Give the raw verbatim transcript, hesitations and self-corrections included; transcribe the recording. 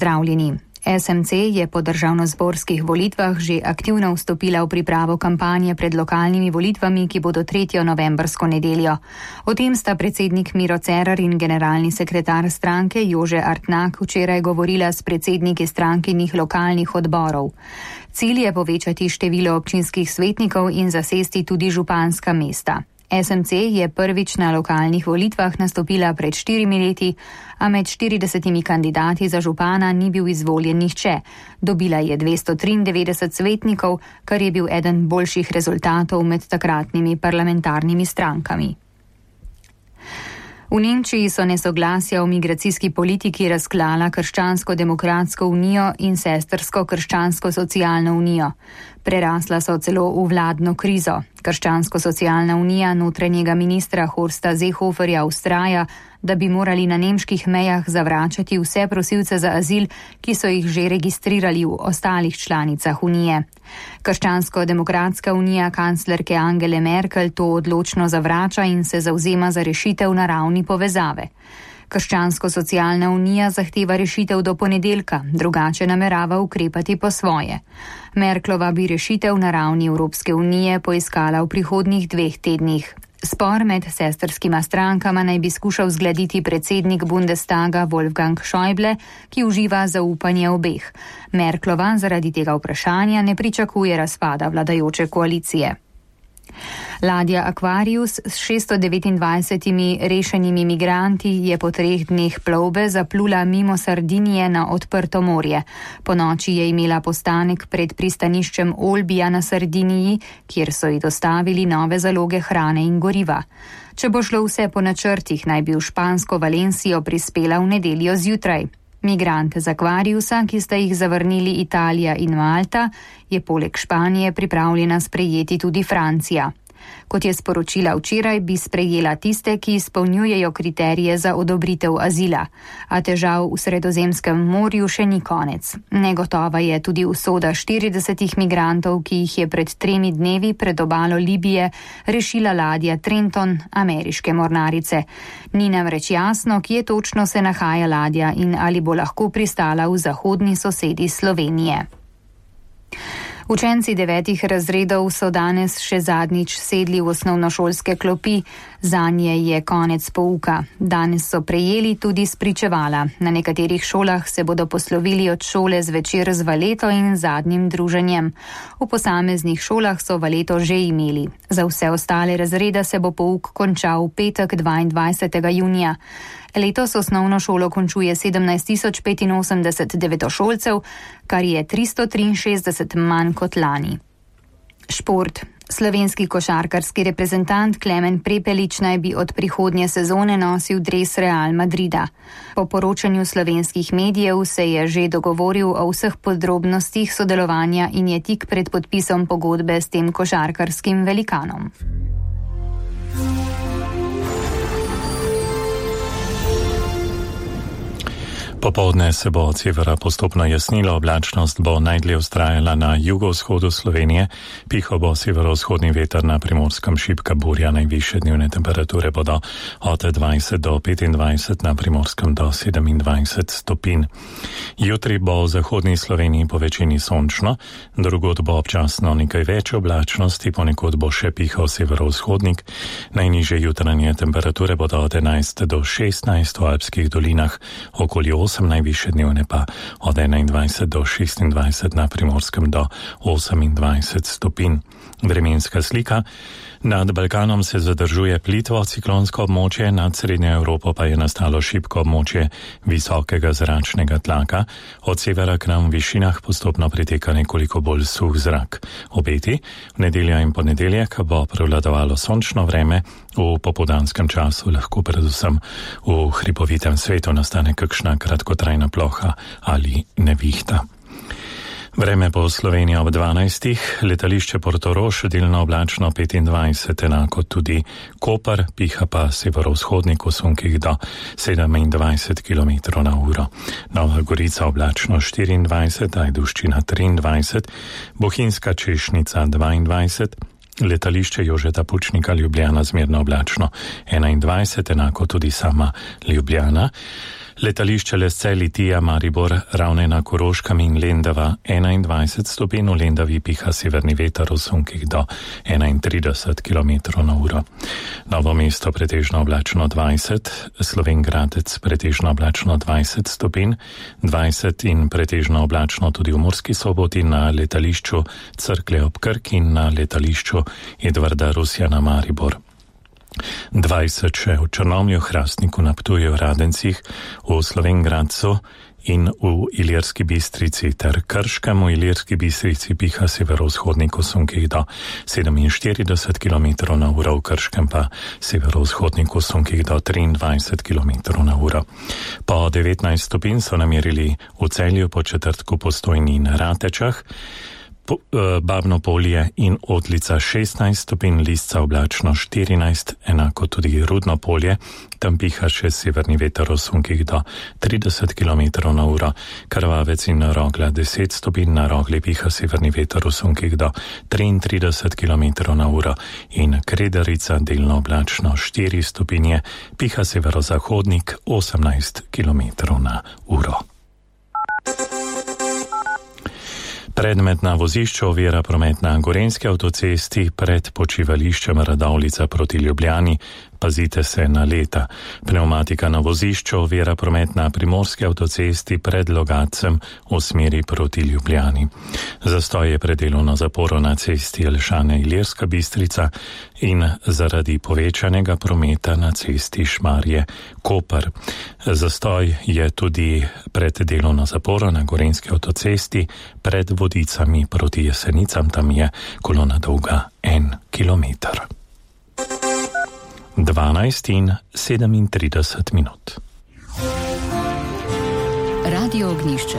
Zdravljeni. S M C je po državnozborskih volitvah že aktivno vstopila v pripravo kampanje pred lokalnimi volitvami, ki bodo tretjo novembrsko nedeljo. O tem sta predsednik Miro Cerar in generalni sekretar stranke Jože Artnak včeraj govorila s predsedniki strankinih lokalnih odborov. Cilj je povečati število občinskih svetnikov in zasesti tudi županska mesta. S M C je prvič na lokalnih volitvah nastopila pred štirimi leti, a med štiridesetimi kandidati za župana ni bil izvoljen nihče. Dobila je dvesto triindevetdeset svetnikov, kar je bil eden boljših rezultatov med takratnimi parlamentarnimi strankami. V Nemčiji so nesoglasja o migracijski politiki razklala Krščansko-demokratsko unijo in sestrsko Krščansko-socialno unijo. Prerasla so celo v vladno krizo. Krščansko-socialna unija notranjega ministra Horsta Seehoferja vztraja, da bi morali na nemških mejah zavračati vse prosilce za azil, ki so jih že registrirali v ostalih članicah unije. Krščansko-demokratska unija kanclerke Angele Merkel to odločno zavrača in se zavzema za rešitev na ravni povezave. Krščansko-socialna unija zahteva rešitev do ponedeljka, drugače namerava ukrepati po svoje. Merklova bi rešitev na ravni Evropske unije poiskala v prihodnjih dveh tednih. Spor med sestrskima strankama naj bi skušal zgladiti predsednik Bundestaga Wolfgang Schäuble, ki uživa zaupanje obeh. Merklova zaradi tega vprašanja ne pričakuje razpada vladajoče koalicije. Ladja Aquarius s šeststo devetindvajsetimi rešenimi migranti je po treh dneh plovbe zaplula mimo Sardinije na odprto morje. Po noči je imela postanek pred pristaniščem Olbija na Sardiniji, kjer so ji dostavili nove zaloge hrane in goriva. Če bo šlo vse po načrtih, naj bi v špansko Valencijo prispela v nedeljo zjutraj. Migrante z Aquariusa, ki sta jih zavrnili Italija in Malta, je poleg Španije pripravljena sprejeti tudi Francija. Kot je sporočila včeraj, bi sprejela tiste, ki izpolnjujejo kriterije za odobritev azila. A težav v Sredozemskem morju še ni konec. Negotova je tudi usoda štiridesetih migrantov, ki jih je pred tremi dnevi pred obalo Libije rešila ladja Trenton ameriške mornarice. Ni namreč jasno, kje točno se nahaja ladja in ali bo lahko pristala v zahodni sosedi Slovenije. Učenci devetih razredov so danes še zadnjič sedli v osnovnošolske klopi, zanje je konec pouka. Danes so prejeli tudi spričevala. Na nekaterih šolah se bodo poslovili od šole zvečer z valeto in zadnjim druženjem. V posameznih šolah so valeto že imeli. Za vse ostale razrede se bo pouk končal v petek dvaindvajsetega junija. Letos osnovno šolo končuje sedemnajst tisoč petinosemdeset devetošolcev, kar je tristo triinšestdeset manj kot lani. Šport. Slovenski košarkarski reprezentant Klemen Prepelič naj bi od prihodnje sezone nosil dres Real Madrida. Po poročanju slovenskih medijev se je že dogovoril o vseh podrobnostih sodelovanja in je tik pred podpisom pogodbe s tem košarkarskim velikanom. Popoldne se bo od severa postopno jasnilo, oblačnost bo najdlje vztrajala na jugovzhodu Slovenije, pihal bo severovzhodni veter, na Primorskem šibka burja, najvišje dnevne temperature bodo od dvajset do petindvajset, na Primorskem do sedemindvajset stopinj. Jutri bo v zahodni Sloveniji po večini sončno, drugod bo občasno nekaj več oblačnosti, ponekod bo še pihal severovzhodnik, najnižje jutranje temperature bodo od enajst do šestnajst v alpskih dolinah, okoli osem, najvišje dnevne pa od enaindvajset do šestindvajset, na Primorskem do osemindvajset stopinj. Vremenska slika. Nad Balkanom se zadržuje plitvo ciklonsko območje, nad Srednjo Evropo pa je nastalo šibko območje visokega zračnega tlaka. Od severa k nam v višinah postopno priteka nekoliko bolj suh zrak. Obeti, v nedeljo in ponedeljek bo prevladovalo sončno vreme, v popoldanskem času lahko predvsem v hribovitem svetu nastane kakšna kratkotrajna ploha ali nevihta. Vreme po Sloveniji ob dvanajstih, letališče Portorož delno oblačno petindvajset, enako tudi Koper, piha pa severovzhodnik v sunkih do sedemindvajset kilometrov na uro. Nova Gorica oblačno štiriindvajset, Ajdovščina triindvajset, Bohinjska Češnica dvaindvajset, letališče Jožeta Pučnika Ljubljana zmerno oblačno enaindvajset, enako tudi sama Ljubljana. Letališče Lesce Litija Maribor, Ravne na Koroškem in Lendava enaindvajset stopinj, v Lendavi piha severni veter v sunkih do enaintrideset kilometrov na uro. Novo mesto pretežno oblačno dvajset, Slovenj Gradec pretežno oblačno dvajset stopinj, dvajset in pretežno oblačno tudi v Murski Soboti, na letališču Cerklje ob Krki in na letališču Edvarda Rusjana Maribor. dvajset še v Črnomlju, Hrastniku, na Ptuju, Radencih, v Slovenj Gradcu in v Ilirski Bistrici ter Krškem. V Ilirski Bistrici piha severovzhodnik v sunkih do sedeminštirideset kilometrov na uro, v Krškem pa severovzhodnik v sunkih do triindvajset kilometrov na uro. Po devetnajst stopinj so namerili v Celju, po Četrtku, Postojni in Ratečah. Babno Polje in Otlica šestnajst stopinj, Lisca oblačno štirinajst, enako tudi Rudno Polje, tam piha še severni veter v sunkih do trideset kilometrov na uro, Krvavec in Rogla deset stopinj, na Rogli piha severni veter v sunkih do triintrideset kilometrov na uro in Kredarica delno oblačno štiri stopinje, piha severozahodnik osemnajst kilometrov na uro. Predmetna vozišča ovira promet na Gorenjski avtocesti pred počivališčem Radovljica proti Ljubljani. Pazite se na leta. Pneumatika na vozišču ovira promet na Primorski avtocesti pred Logatcem v smeri proti Ljubljani. Zastoj je pred delovno zaporo na cesti Jelšane Ilirska Bistrica in zaradi povečanega prometa na cesti Šmarje Koper. Zastoj je tudi pred delovno zaporo na Gorenjski avtocesti pred Vodicami proti Jesenicam, tam je kolona dolga en kilometer. dvanajst in sedemintrideset minut. Radio Ognjišče.